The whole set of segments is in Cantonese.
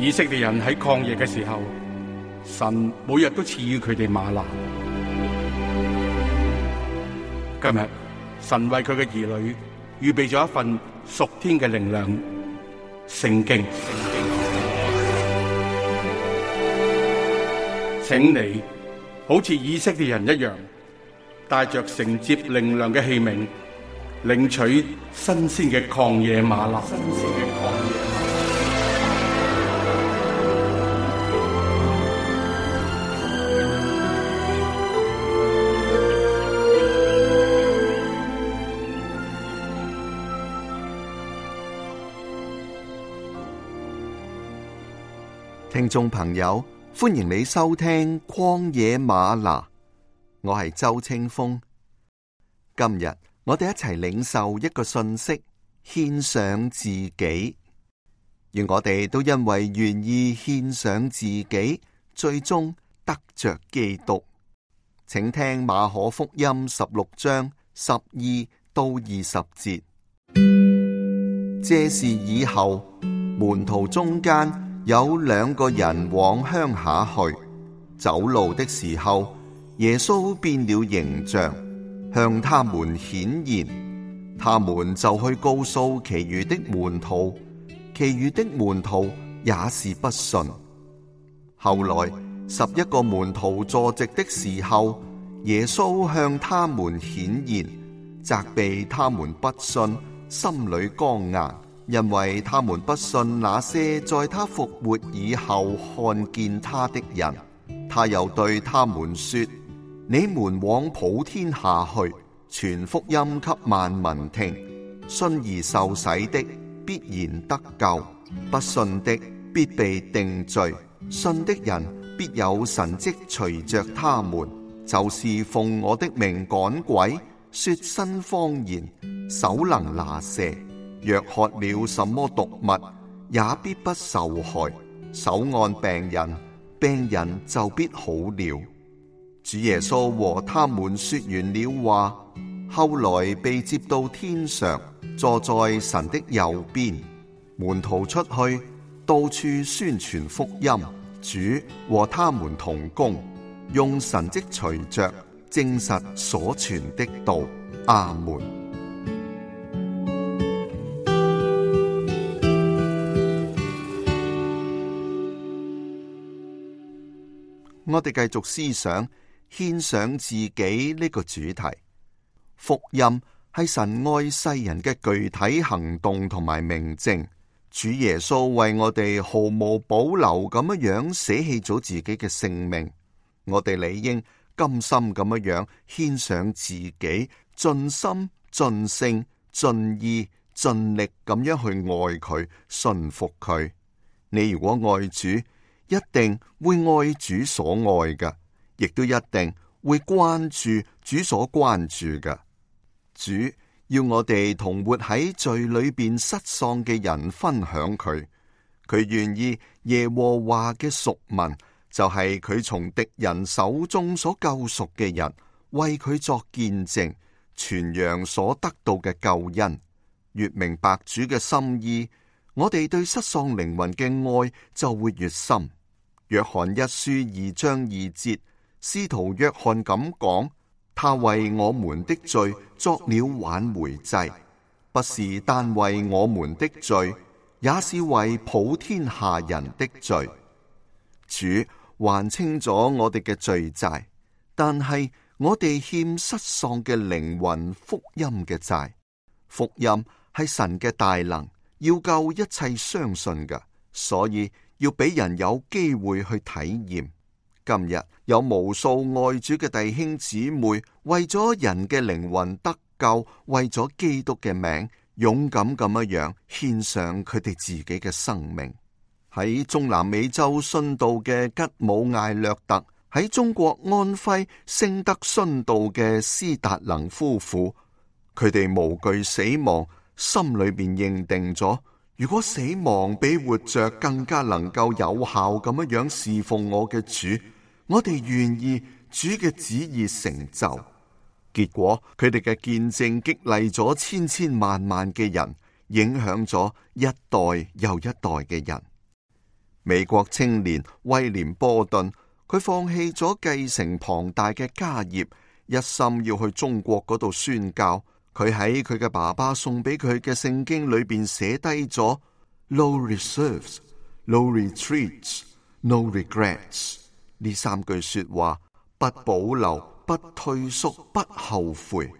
以色列人喺曠野嘅時候，神每日都賜予佢哋嗎哪。今日神為佢嘅兒女預備咗一份屬天嘅靈糧——聖經。請你好似以色列人一樣，帶着承接靈糧嘅器皿，領取新鮮嘅曠野嗎哪。聽眾朋友，歡迎你收聽曠野嗎哪，我係周清風。今日我哋一齊領受一個信息，獻上自己。願我哋都因為願意獻上自己，最終得着基督。請聽馬可福音16章12到20節。這事以後，門徒中間有兩個人往鄉下去，走路的時候，耶穌變了形象，向他們顯現，他們就去告訴其餘的門徒，其餘的門徒也是不信。後來11個門徒坐席的時候，耶穌向他們顯現，責備他們不信，心裏剛硬。因為他們不信那些在他復活以後看見他的人。他又對他們說：你們往普天下去，傳福音給萬民聽。信而受洗的必然得救，不信的必被定罪。信的人必有神蹟隨着他們，就是奉我的名趕鬼，說新方言，手能拿蛇。若喝了什麼毒物，也必不受害。手按病人，病人就必好了。主耶穌和他們說完了話，後來被接到天上，坐在神的右邊。門徒出去，到處宣傳福音，主和他們同工，用神蹟隨着，證實所傳的道。阿門。我哋繼續思想獻上自己呢個主題。福音係神愛世人嘅具體行動同埋明證。主耶穌為我哋毫無保留咁樣捨棄咗自己嘅性命，我哋理應甘心咁樣獻上自己，盡心盡性盡意盡力咁樣去愛佢，信服佢。你如果愛主，一定會愛主所愛嘅，亦都一定會關注主所關注嘅。主要我哋同活喺罪裏邊失喪嘅人分享佢，佢願意耶和華嘅贖民，就係佢從敵人手中所救贖嘅人，為佢作見證，傳揚所得到嘅救恩。越明白主嘅心意，我哋對失喪靈魂嘅愛就會越深。約翰一書2章2節，使徒約翰咁講：他為我們的罪作了挽回祭，不是單為我們的罪，也是為普天下人的罪。主還清咗我哋嘅罪債，但係我哋欠失喪嘅靈魂福音嘅債。福音係神嘅大能，要救一切相信嘅，所以要俾人有機會去體驗。今日有無數愛主嘅弟兄姊妹，為咗人嘅靈魂得救，為咗基督嘅名，勇敢咁樣獻上佢哋自己嘅生命。喺中南美洲殉道嘅吉姆艾略特，喺中國安徽聖德殉道嘅斯達能夫婦，佢哋無懼死亡，心裏邊認定咗，如果死亡比活着更加能夠有效咁樣侍奉我嘅主，我哋願意主嘅旨意成就。結果佢哋嘅見證激勵咗千千萬萬嘅人，影響咗一代又一代嘅人。美國青年威廉波頓，佢放棄咗繼承龐大嘅家業，一心要去中國嗰度宣教。佢喺佢嘅爸爸送俾佢嘅聖經裏邊寫低咗 No reserves, no retreats, no regrets 呢3句說話，不保留，不退縮，不後悔。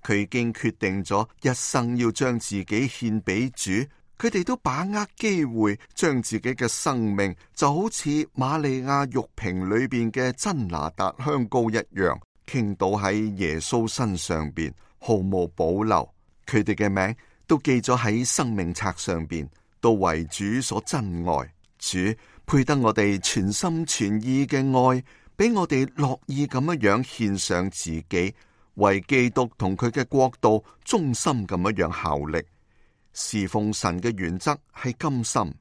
佢已經決定咗一生要將自己獻俾主。佢哋都把握機會，將自己嘅生命就好似瑪利亞玉瓶裏邊嘅真拿達香膏一樣，傾倒喺耶穌身上邊，毫無保留。佢哋嘅名都記咗喺生命冊上邊，都為主所珍愛。主配得我哋全心全意嘅愛，俾我哋樂意咁樣獻上自己，為基督同佢嘅國度忠心咁樣效力。侍奉神嘅原則係甘心。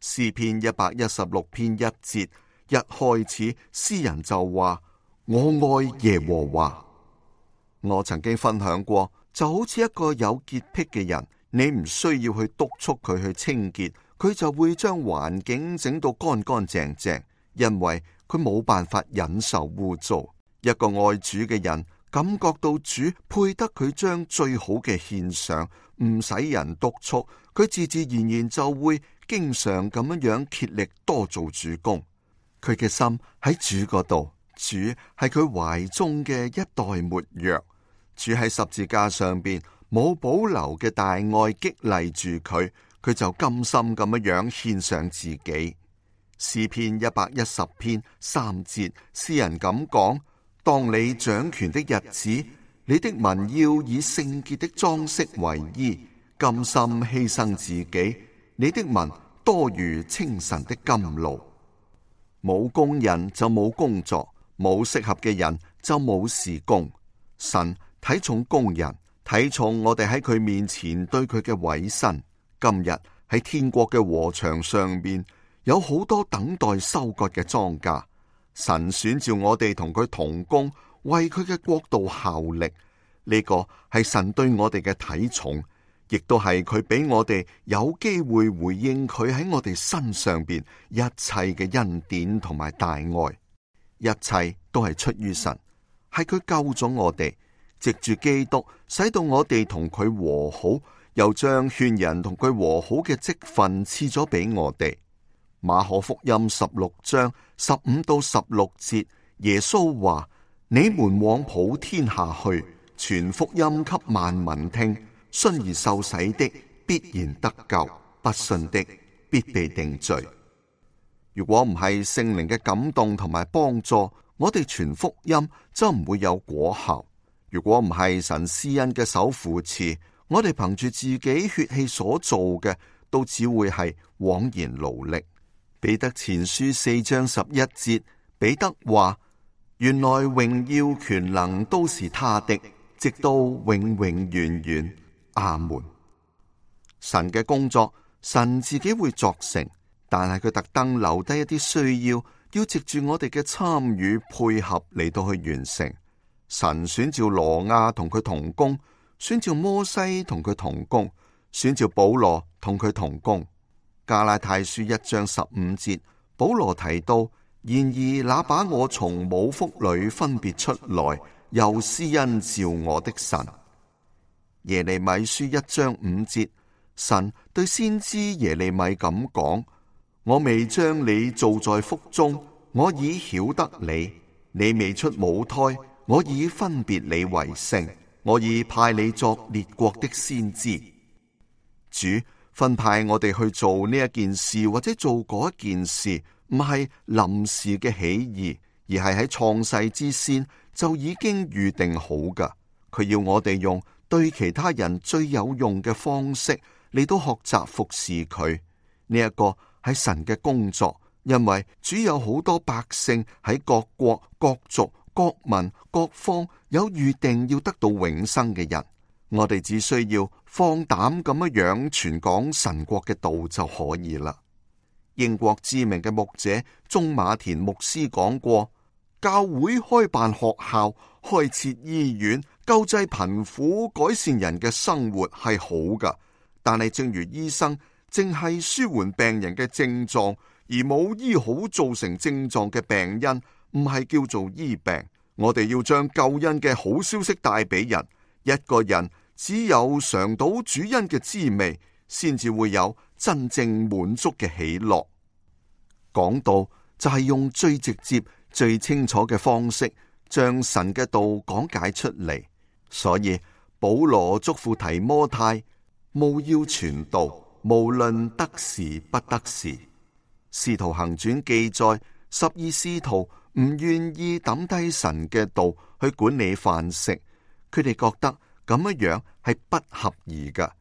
詩篇116篇1節一開始，詩人就話：我愛耶和華。我曾經分享過，就好似一個有潔癖嘅人，你唔需要去督促佢去清潔，佢就會將環境整到乾乾淨淨，因為佢冇辦法忍受污糟。一個愛主嘅人，感覺到主配得佢將最好嘅獻上，唔使人督促，佢自自然然就會經常咁樣竭力多做主工。佢嘅心喺主嗰度，主係佢懷中嘅一袋沒藥。主喺十字架上邊冇保留嘅大愛激勵住佢，佢就甘心咁樣獻上自己。詩篇110篇3節，詩人咁講：當你掌權的日子，你的民要以聖潔的裝飾為衣，甘心犧牲自己。你的民多如清晨的甘露。冇工人就冇工作，冇適合嘅人就冇事工。神睇重工人，睇重我哋喺佢面前對佢嘅委身。今日喺天國嘅禾場上面，有好多等待收割嘅莊稼。神選召我哋同佢同工，為佢嘅國度效力。呢個係神對我哋嘅睇重，亦都係佢俾我哋有機會回應佢喺我哋身上邊一切嘅恩典同埋大愛。一切都係出於神，係佢救咗我哋，藉住基督使到我哋同佢和好，又將勸人同佢和好嘅職分賜咗俾我哋。馬可福音16章15到16節，耶穌話：你們往普天下去，傳福音給萬民聽，信而受洗的必然得救，不信的必被定罪。如果唔係聖靈嘅感動同埋幫助，我哋傳福音就唔會有果效。如果唔係神施恩嘅手扶持，我哋憑住自己血氣所做嘅，都只會係枉然勞力。彼得前書4章11節，彼得話：原來榮耀權能都是他的，直到永永遠遠。阿門。神嘅工作，神自己會作成，但係佢特登留低一啲需要藉住我哋嘅參與配合嚟到去完成。神選召羅亞同佢同工，選召摩西同佢同工，選召保羅同佢同工。加拉太書1章15節，保羅提到：然而那把我從母腹裏分別出來，又施恩召我的神。耶利米書1章5節，神對先知耶利米咁講：我未將你造在腹中，我已曉得你；你未出母胎，我已分別你為聖，我已派你作列國的先知。主分派我哋去做呢一件事或者做嗰一件事，唔係臨時嘅起意，而係喺創世之先就已經預定好㗎。佢要我哋用對其他人最有用嘅方式嚟到學習服侍佢。呢一個係神嘅工作，因為主有好多百姓喺各國、各族、各民、各方有預定要得到永生嘅人。我哋只需要放膽咁樣傳講神國嘅道就可以啦。英國知名嘅牧者鍾馬田牧師講過：教會開辦學校、開設醫院、救濟貧苦、改善人嘅生活係好噶，但係正如醫生淨係舒緩病人嘅症狀，而冇醫好造成症狀嘅病因，唔係叫做醫病。我哋要將救恩嘅好消息帶俾人。一個人只有嘗到主恩嘅滋味，先至會有真正滿足嘅喜樂。講道就係用最直接、最清楚嘅方式，將神嘅道講解出嚟。所以保羅囑咐提摩太，務要傳道，無論得時不得時。使徒行傳記載，12使徒唔願意抌低神嘅道去管理飯食，佢哋覺得咁樣係不合宜噶，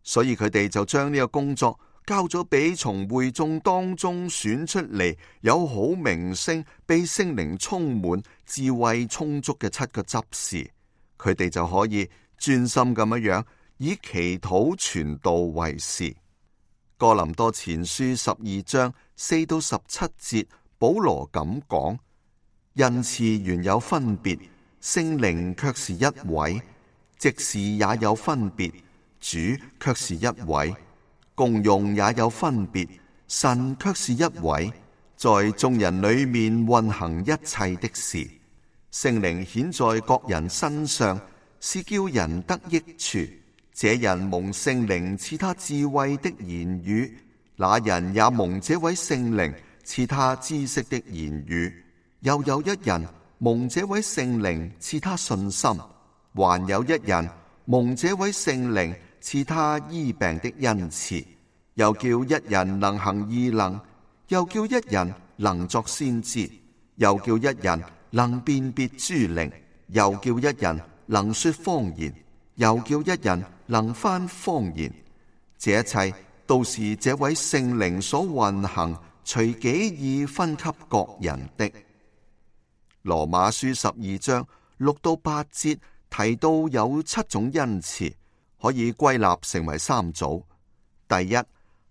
所以佢哋就將呢個工作交咗俾從會眾當中選出嚟有好名聲、被聖靈充滿、智慧充足嘅7個執事，佢哋就可以專心咁樣以祈禱傳道為事。哥林多前書12章4到17節，保羅咁講：恩賜原有分別，聖靈卻是一位；職事也有分別，主卻是一位；功用也有分別，神卻是一位，在眾人裏面運行一切的事。聖靈顯在各人身上，是叫人得益處。這人蒙聖靈賜他智慧的言語，那人也蒙這位聖靈賜他知識的言語。又有一人蒙這位聖靈賜他信心，還有一人蒙這位聖靈賜他醫病的恩賜。又叫一人能行異能，又叫一人能作先知，又叫一人能辨別諸靈，又叫一人能說方言，又叫一人能翻方言。這一切都是這位聖靈所運行，隨己意分給各人的。羅馬書12章6到8節提到有7種恩賜，可以歸納成為3組。第一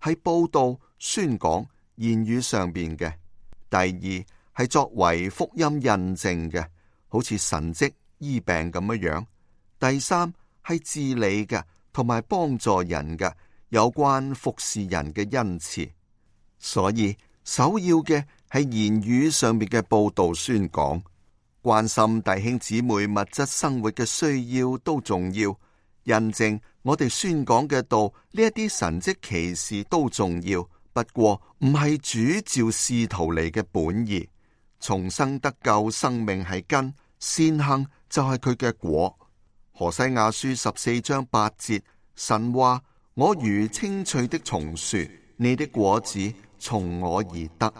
係報道、宣講、言語上邊嘅；第二係作為福音印證嘅，好似神蹟、醫病咁樣；第三係治理嘅，同埋幫助人嘅，有關服侍人嘅恩賜。所以首要嘅係言語上邊嘅報道、宣講，關心弟兄姊妹物質生活嘅需要都重要，印證我哋宣講嘅道，呢一啲神蹟奇事都重要，不過唔係主召使徒嚟嘅本意。重生得救生命係根，善行就係佢嘅果。何西亞書14章8節，神話：我如青翠的松樹，你的果子從我而得。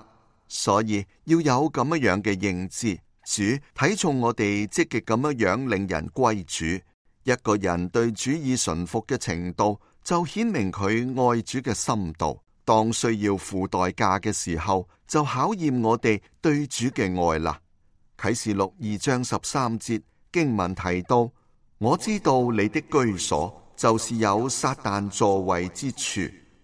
所以要有咁樣嘅認知，主睇重我哋積極咁樣令人歸主。一個人對主意順服嘅程度，就顯明佢愛主嘅深度。當需要付代價嘅時候，就考驗我哋對主嘅愛啦。啟示錄2章13節經文提到：我知道你的居所就是有撒旦座位之處。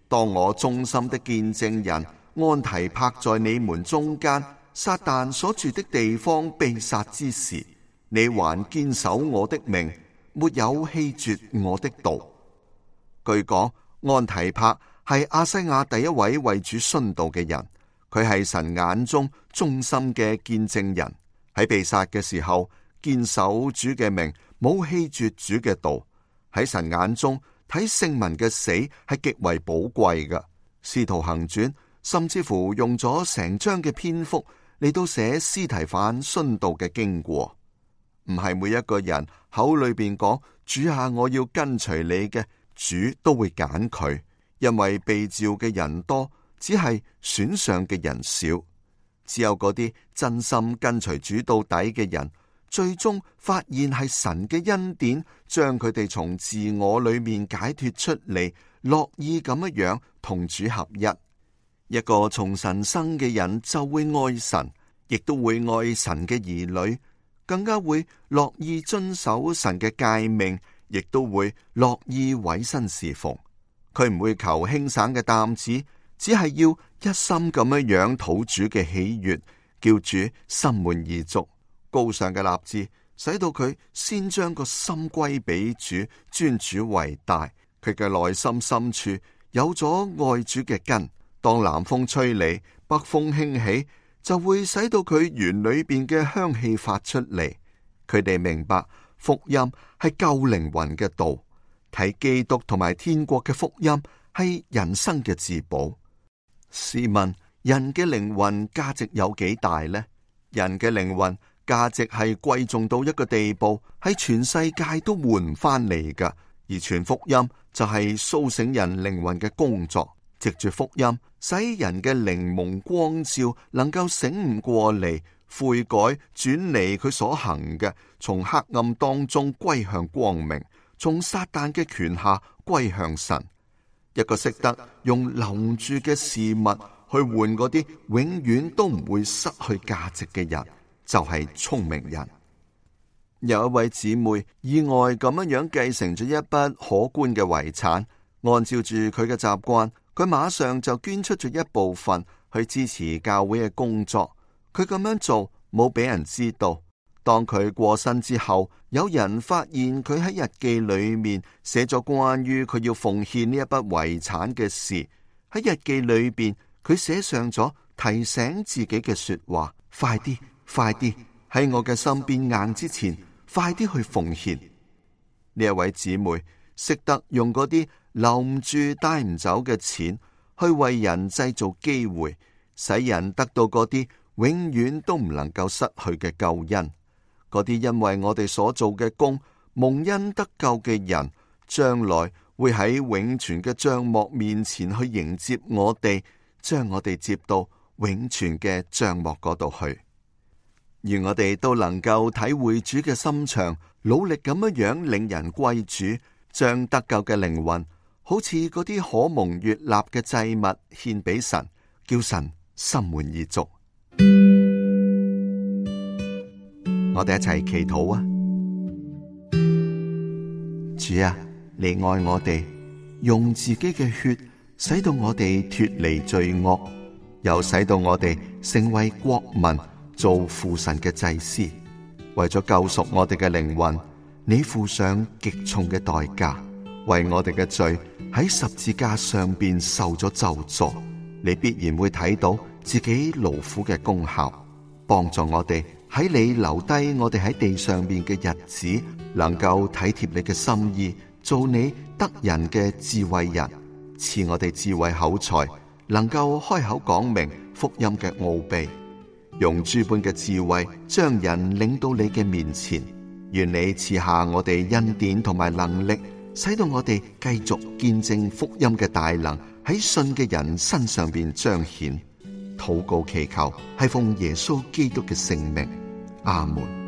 當我忠心的見證人安提帕在你們中間，撒旦所住的地方被殺之時，你還堅守我的命，沒有棄絕我的道。據講，安提帕係亞西亞第一位為主殉道嘅人，佢係神眼中忠心嘅見證人，喺被殺嘅時候堅守主嘅命，冇棄絕主嘅道。喺神眼中睇聖民嘅死係極為寶貴嘅。使徒行傳甚至乎用咗成章嘅篇幅嚟到寫司提反殉道嘅經過。唔係每一個人口裏邊講主啊，我要跟隨你嘅，主都會揀佢，因為被召嘅人多，只係選上嘅人少。只有嗰啲真心跟隨主到底嘅人，最終發現係神嘅恩典，將佢哋從自我裏面解脫出嚟，樂意咁樣同主合一。一個從神生嘅人就會愛神，亦都會愛神嘅兒女，更加會樂意遵守神嘅誡命，亦都會樂意委身侍奉。佢唔會求輕省嘅擔子，只係要一心咁樣討主嘅喜悅，叫主心滿意足。高尚嘅立志，使到佢先將個心歸俾主，尊主為大。佢嘅內心深處有咗愛主嘅根。當南風吹嚟，北風興起，就會使到佢園裏邊嘅香氣發出嚟。佢哋明白福音係救靈魂嘅道，睇基督同埋天國嘅福音係人生嘅至寶。試問人嘅靈魂價值有幾大呢？人嘅靈魂價值係貴重到一個地步，喺全世界都換唔翻嚟噶。而傳福音就係蘇醒人靈魂嘅工作，藉住福音使人嘅靈蒙光照，能夠醒悟過嚟，悔改轉離佢所行嘅，從黑暗當中歸向光明，從撒旦嘅權下歸向神。一個識得用留住嘅事物去換嗰啲永遠都唔會失去價值嘅人，就係聰明人。有一位姊妹意外咁樣繼承咗一筆可觀嘅遺產，按照住佢嘅習慣，佢馬上就捐出咗一部分去支持教會嘅工作。佢咁樣做冇俾人知道。當佢過身之後，有人發現佢喺日記裏面寫咗關於佢要奉獻呢一筆遺產嘅事。喺日記裏邊，佢寫上咗提醒自己嘅說話：快啲，快啲，喺我嘅身邊硬之前，快啲去奉獻。呢一位姊妹識得用嗰啲留唔住帶唔走嘅錢，去為人製造機會，使人得到嗰啲永遠都唔能夠失去嘅救恩。嗰啲因為我哋所做嘅工蒙恩得救嘅人，將來會喺永存嘅帳幕面前去迎接我哋，將我哋接到永存嘅帳幕嗰度去。願我哋都能夠體會主嘅心腸，努力咁樣領人歸主，將得救嘅靈魂好似嗰啲可蒙悅納嘅祭物獻俾神，叫神心滿意足。我哋一齊祈禱啊！主啊，你愛我哋，用自己嘅血使到我哋脫離罪惡，又使到我哋成為國民，做父神嘅祭司。為咗救贖我哋嘅靈魂，你付上極重嘅代價，為我哋嘅罪喺十字架上邊受咗咒詛。你必然會睇到自己勞苦嘅功效，幫助我哋喺你留低我哋喺地上邊嘅日子，能夠體貼你嘅心意，做你得人嘅智慧人，賜我哋智慧口才，能夠開口講明福音嘅奧秘，用諸般嘅智慧將人領到你嘅面前。願你賜下我哋恩典同埋能力，使到我哋繼續見證福音嘅大能喺信嘅人身上邊彰顯。禱告祈求係奉耶穌基督嘅聖名，阿門。